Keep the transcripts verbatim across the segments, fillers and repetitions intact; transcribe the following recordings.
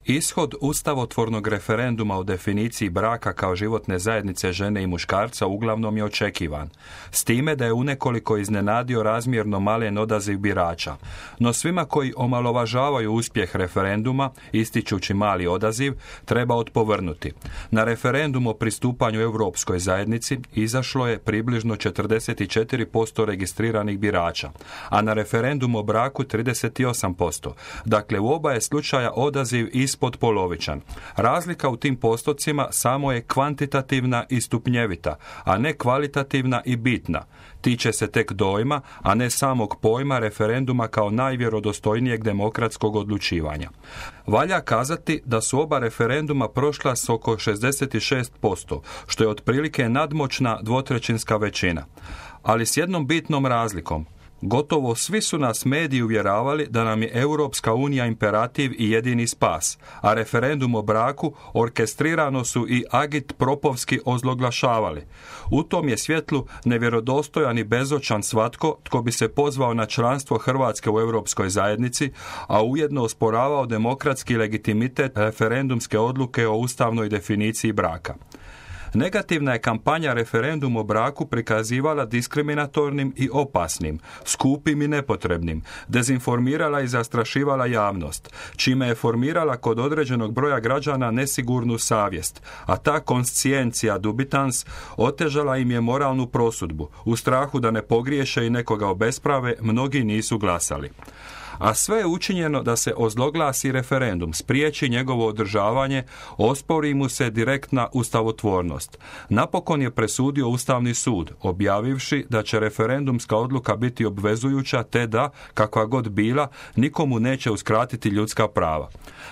Ishod ustavotvornog referenduma o definiciji braka kao životne zajednice žene i muškarca uglavnom je očekivan, s time da je unekoliko iznenadio razmjerno malen odaziv birača. No svima koji omalovažavaju uspjeh referenduma, ističući mali odaziv, treba odpovrnuti. Na referendum o pristupanju Europskoj zajednici izašlo je približno četrdeset četiri posto registriranih birača, a na referendum o braku trideset osam posto. Dakle, u oba je slučaja odaziv ispod polovičan. Razlika u tim postocima samo je kvantitativna i stupnjevita, a ne kvalitativna i bitna. Tiče se tek dojma, a ne samog pojma referenduma kao najvjerodostojnijeg demokratskog odlučivanja. Valja kazati da su oba referenduma prošla s oko šezdeset šest posto, što je otprilike nadmoćna dvotrećinska većina. Ali s jednom bitnom razlikom. Gotovo svi su nas mediji uvjeravali da nam je Europska unija imperativ i jedini spas, a referendum o braku orkestrirano su i agit-propovski ozloglašavali. U tom je svjetlu nevjerodostojan i bezočan svatko tko bi se pozvao na članstvo Hrvatske u Europskoj zajednici, a ujedno osporavao demokratski legitimitet referendumske odluke o ustavnoj definiciji braka. Negativna je kampanja referendum o braku prikazivala diskriminatornim i opasnim, skupim i nepotrebnim, dezinformirala i zastrašivala javnost, čime je formirala kod određenog broja građana nesigurnu savjest, a ta konsciencija dubitans otežala im je moralnu prosudbu. U strahu da ne pogriješe i nekoga obesprave, mnogi nisu glasali. A sve je učinjeno da se ozloglasi referendum, spriječi njegovo održavanje, ospori mu se direktna ustavotvornost. Napokon je presudio Ustavni sud, objavivši da će referendumska odluka biti obvezujuća te da, kakva god bila, nikomu neće uskratiti ljudska prava.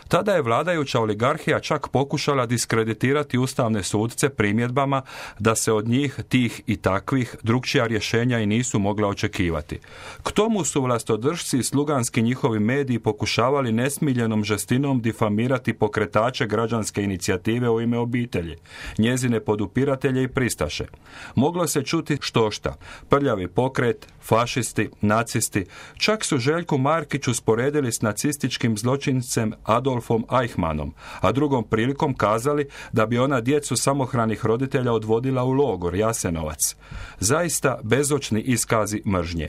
Tada je vladajuća oligarhija čak pokušala diskreditirati ustavne sudce primjedbama da se od njih, tih i takvih, drukčija rješenja i nisu mogla očekivati. K tomu su vlastodržci i sluganski njihovi mediji pokušavali nesmiljenom žestinom difamirati pokretače građanske inicijative u ime obitelji, njezine podupiratelje i pristaše. Moglo se čuti štošta, prljavi pokret, fašisti, nacisti, čak su Željku Markiću sporedili s nacističkim zločincem Adolfom Eichmannom, a drugom prilikom kazali da bi ona djecu samohranih roditelja odvodila u logor Jasenovac. Zaista bezočni iskazi mržnje.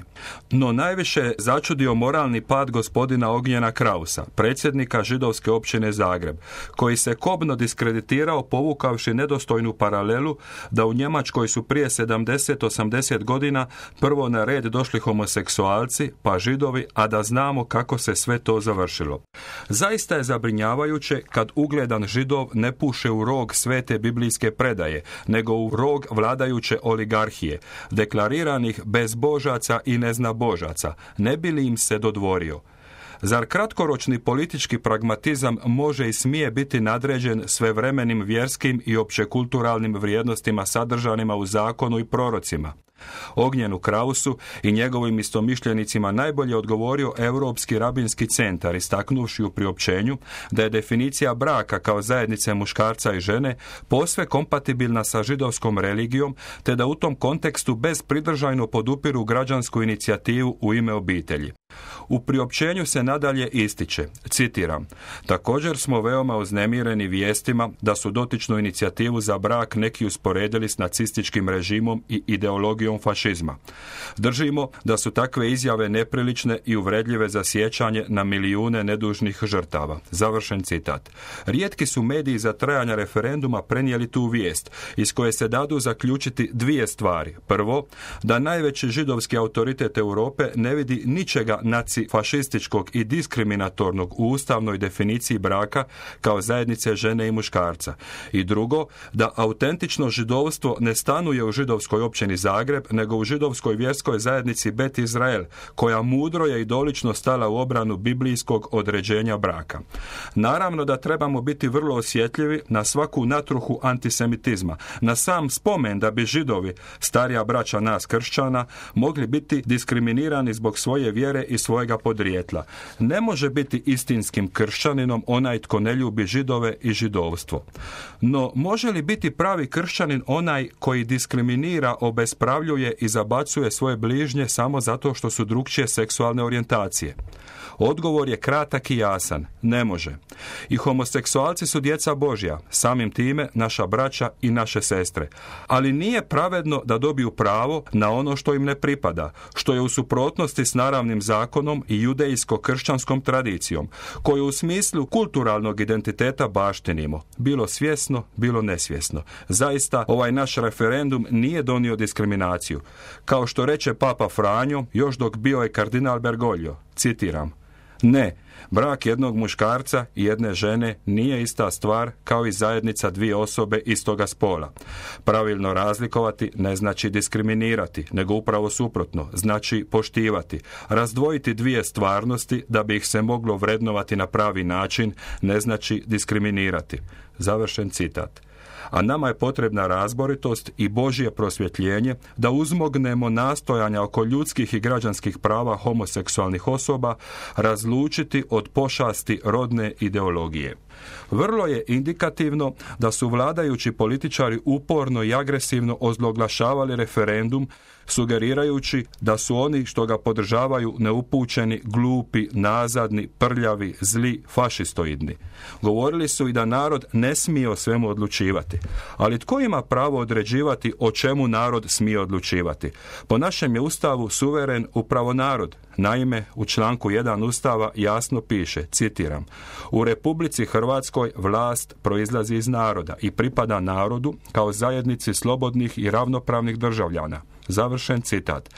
No najviše je začudio moralni pad gospodina Ognjena Krausa, predsjednika židovske općine Zagreb, koji se kobno diskreditirao povukavši nedostojnu paralelu da u Njemačkoj su prije sedamdeset osamdeset godina prvo na red došli homoseksualci, pa židovi, a da znamo kako se sve to završilo. Zaista je zabrinjavajuće kad ugledan židov ne puše u rog svete biblijske predaje, nego u rog vladajuće oligarhije, deklariranih bezbožaca i neznabožaca, ne bi li im se dodvorio. Zar kratkoročni politički pragmatizam može i smije biti nadređen svevremenim vjerskim i općekulturalnim vrijednostima sadržanima u zakonu i prorocima? Ognjenu Krausu i njegovim istomišljenicima najbolje odgovorio Europski rabinski centar, istaknuvši u priopćenju da je definicija braka kao zajednice muškarca i žene posve kompatibilna sa židovskom religijom, te da u tom kontekstu bezpridržajno podupiru građansku inicijativu u ime obitelji. U priopćenju se nadalje ističe, citiram, također smo veoma uznemireni vijestima da su dotičnu inicijativu za brak neki usporedili s nacističkim režimom i ideologijom fašizma. Držimo da su takve izjave neprilične i uvredljive za sjećanje na milijune nedužnih žrtava. Završen citat. Rijetki su mediji za trajanja referenduma prenijeli tu vijest, iz koje se dadu zaključiti dvije stvari. Prvo, da najveći židovski autoritet Europe ne vidi ničega nacifašističkog i diskriminatornog u ustavnoj definiciji braka kao zajednice žene i muškarca. I drugo, da autentično židovstvo ne stanuje u židovskoj općini Zagreb, nego u židovskoj vjerskoj zajednici Bet Izrael, koja mudro je i dolično stala u obranu biblijskog određenja braka. Naravno da trebamo biti vrlo osjetljivi na svaku natruhu antisemitizma, na sam spomen da bi židovi, starija braća nas kršćana, mogli biti diskriminirani zbog svoje vjere i svojega podrijetla. Ne može biti istinskim kršćaninom onaj tko ne ljubi židove i židovstvo. No, može li biti pravi kršćanin onaj koji diskriminira, obespravljuje i zabacuje svoje bližnje samo zato što su drukčije seksualne orijentacije? Odgovor je kratak i jasan. Ne može. I homoseksualci su djeca Božja, samim time naša braća i naše sestre. Ali nije pravedno da dobiju pravo na ono što im ne pripada, što je u suprotnosti s naravnim zakonom i judejsko-kršćanskom tradicijom, koju u smislu kulturalnog identiteta baštinimo, bilo svjesno, bilo nesvjesno. Zaista, ovaj naš referendum nije donio diskriminaciju. Kao što reče Papa Franjo, još dok bio je kardinal Bergoglio, citiram: ne, brak jednog muškarca i jedne žene nije ista stvar kao i zajednica dvije osobe istoga spola. Pravilno razlikovati ne znači diskriminirati, nego upravo suprotno, znači poštivati. Razdvojiti dvije stvarnosti da bi ih se moglo vrednovati na pravi način ne znači diskriminirati. Završen citat. A nama je potrebna razboritost i Božje prosvjetljenje da uzmognemo nastojanja oko ljudskih i građanskih prava homoseksualnih osoba razlučiti od pošasti rodne ideologije. Vrlo je indikativno da su vladajući političari uporno i agresivno ozloglašavali referendum, sugerirajući da su oni što ga podržavaju neupućeni, glupi, nazadni, prljavi, zli, fašistoidni. Govorili su i da narod ne smije o svemu odlučivati. Ali tko ima pravo određivati o čemu narod smije odlučivati? Po našem je Ustavu suveren upravo narod. Naime, u članku jedan Ustava jasno piše, citiram: u Republici Hrvatskoj vlast proizlazi iz naroda i pripada narodu kao zajednici slobodnih i ravnopravnih državljana. Završen citat.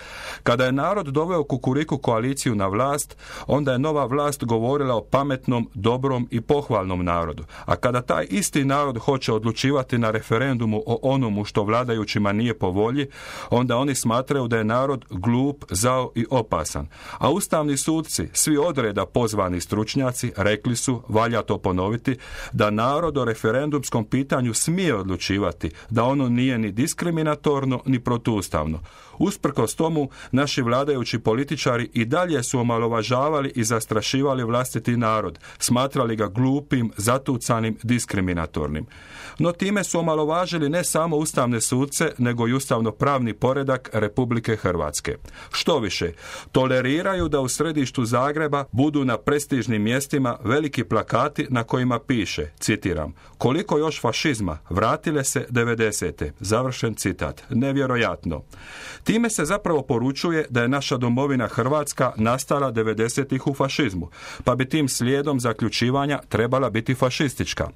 Kada je narod doveo Kukuriku koaliciju na vlast, onda je nova vlast govorila o pametnom, dobrom i pohvalnom narodu. A kada taj isti narod hoće odlučivati na referendumu o onomu što vladajućima nije po volji, onda oni smatraju da je narod glup, zao i opasan. A ustavni sudci, svi odreda pozvani stručnjaci, rekli su, valja to ponoviti, da narod o referendumskom pitanju smije odlučivati, da ono nije ni diskriminatorno ni protuustavno. Usprkos tomu, naši vladajući političari i dalje su omalovažavali i zastrašivali vlastiti narod, smatrali ga glupim, zatucanim, diskriminatornim. No time su omalovažili ne samo ustavne sudce, nego i ustavno-pravni poredak Republike Hrvatske. Što više, toleriraju da u središtu Zagreba budu na prestižnim mjestima veliki plakati na kojima piše, citiram: koliko još fašizma, vratile se devedesete. Završen citat. Nevjerojatno. Time se zapravo poručuje da je naša domovina Hrvatska nastala devedesetih u fašizmu, pa bi tim slijedom zaključivanja trebala biti fašistička.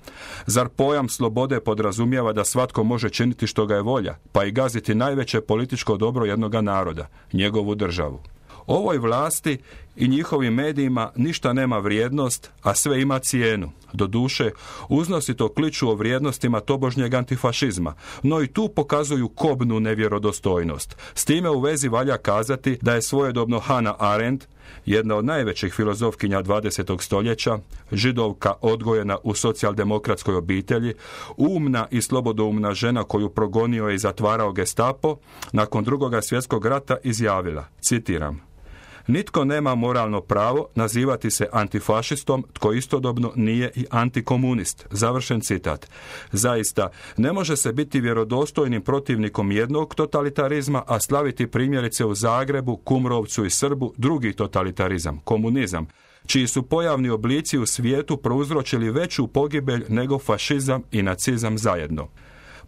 Zar pojam slobode podrazumijeva da svatko može činiti što ga je volja, pa i gaziti najveće političko dobro jednoga naroda, njegovu državu? Ovoj vlasti i njihovim medijima ništa nema vrijednost, a sve ima cijenu. Doduše, uznosito kliču o vrijednostima tobožnjeg antifašizma, no i tu pokazuju kobnu nevjerodostojnost. S time u vezi valja kazati da je svojedobno Hannah Arendt, jedna od najvećih filozofkinja dvadesetog stoljeća, Židovka odgojena u socijaldemokratskoj obitelji, umna i slobodoumna žena koju progonio i zatvarao Gestapo, nakon Drugoga svjetskog rata izjavila, citiram: nitko nema moralno pravo nazivati se antifašistom tko istodobno nije i antikomunist. Završen citat. Zaista, ne može se biti vjerodostojnim protivnikom jednog totalitarizma, a slaviti primjerice u Zagrebu, Kumrovcu i Srbu drugi totalitarizam, komunizam, čiji su pojavni oblici u svijetu prouzročili veću pogibelj nego fašizam i nacizam zajedno.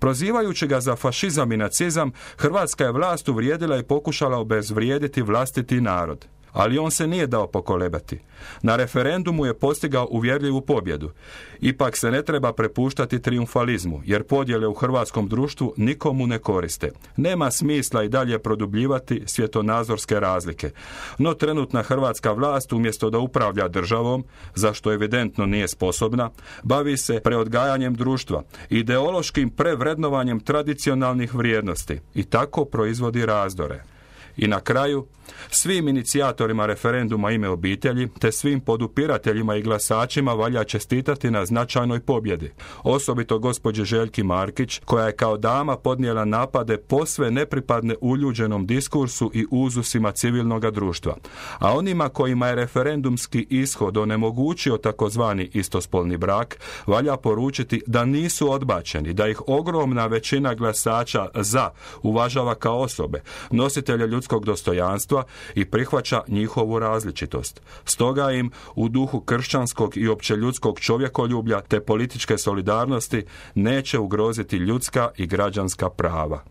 Prozivajući ga za fašizam i nacizam, hrvatska je vlast uvrijedila i pokušala obezvrijediti vlastiti narod. Ali on se nije dao pokolebati. Na referendumu je postigao uvjerljivu pobjedu. Ipak se ne treba prepuštati trijumfalizmu, jer podjele u hrvatskom društvu nikomu ne koriste. Nema smisla i dalje produbljivati svjetonazorske razlike. No trenutna hrvatska vlast, umjesto da upravlja državom, za što evidentno nije sposobna, bavi se preodgajanjem društva, ideološkim prevrednovanjem tradicionalnih vrijednosti i tako proizvodi razdore. I na kraju, svim inicijatorima referenduma Ime obitelji, te svim podupirateljima i glasačima valja čestitati na značajnoj pobjedi. Osobito gospođi Željki Markić, koja je kao dama podnijela napade posve nepripadne uljuđenom diskursu i uzusima civilnog društva. A onima kojima je referendumski ishod onemogućio takozvani istospolni brak, valja poručiti da nisu odbačeni, da ih ogromna većina glasača za uvažava kao osobe, nositelje ljudskog ljudskog dostojanstva i prihvaća njihovu različitost. Stoga im u duhu kršćanskog i općeljudskog čovjekoljublja te političke solidarnosti neće ugroziti ljudska i građanska prava.